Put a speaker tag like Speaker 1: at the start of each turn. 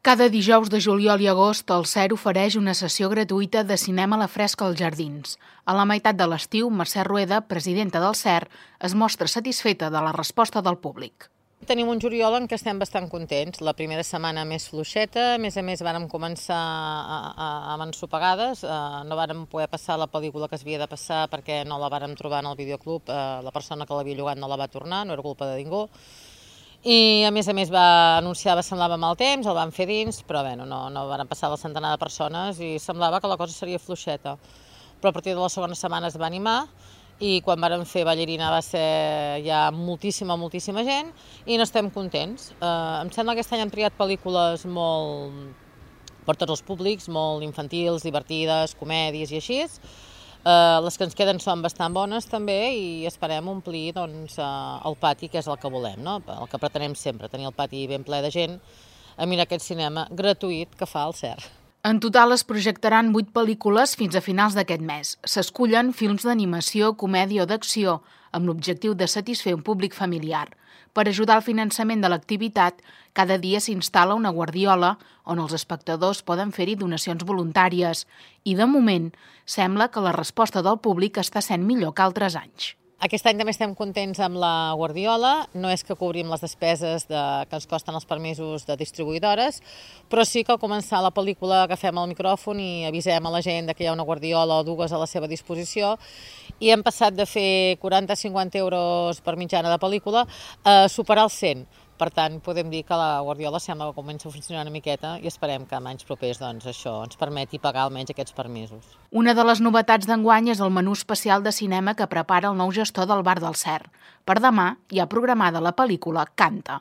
Speaker 1: Cada dijous de juliol i agost, el CER ofereix una sessió gratuïta de cinema a la fresca als jardins. A la meitat de l'estiu, Mercè Rueda, presidenta del CER, es mostra satisfeta de la resposta del públic.
Speaker 2: Tenim un juliol en què estem bastant contents. La primera setmana més fluixeta, a més vàrem començar amb ensopegades. No vàrem poder passar la pel·lícula que es havia de passar perquè no la vàrem trobar en el videoclub. La persona que l'havia llogat no la va tornar, no era culpa de ningú. I a més va anunciar, semblava mal temps, el van fer dins, però bé, no van passar la centenar de persones i semblava que la cosa seria fluixeta. Però a partir de la segona setmana es va animar i quan vàrem fer Ballarina va ser ja moltíssima gent i n'estem contents. Em sembla que aquest any han triat pel·lícules molt per tots els públics, molt infantils, divertides, comèdies i així. Les que ens queden són bastant bones també i esperem omplir el pati, que és el que volem, no? El que pretenem sempre, tenir el pati ben ple de gent a mirar aquest cinema gratuït que fa el CER.
Speaker 1: En total es projectaran 8 pel·lícules fins a finals d'aquest mes. S'escullen films d'animació, comèdia o d'acció, amb l'objectiu de satisfer un públic familiar. Per ajudar al finançament de l'activitat, cada dia s'instal·la una guardiola on els espectadors poden fer-hi donacions voluntàries i, de moment, sembla que la resposta del públic està sent millor que altres anys.
Speaker 2: Aquest any també estem contents amb la guardiola. No és que cobrim les despeses que ens costen els permisos de distribuïdores, però sí que al començar la pel·lícula agafem el micròfon i avisem a la gent que hi ha una guardiola o dues a la seva disposició i hem passat de fer 40-50 euros per mitjana de pel·lícula a superar els 100. Per tant, podem dir que la guardiola sembla que comença a funcionar una miqueta i esperem que en anys propers això ens permeti pagar almenys aquests permisos.
Speaker 1: Una de les novetats d'enguany és el menú especial de cinema que prepara el nou gestor del bar del CER. Per demà hi ha programada la pel·lícula Canta.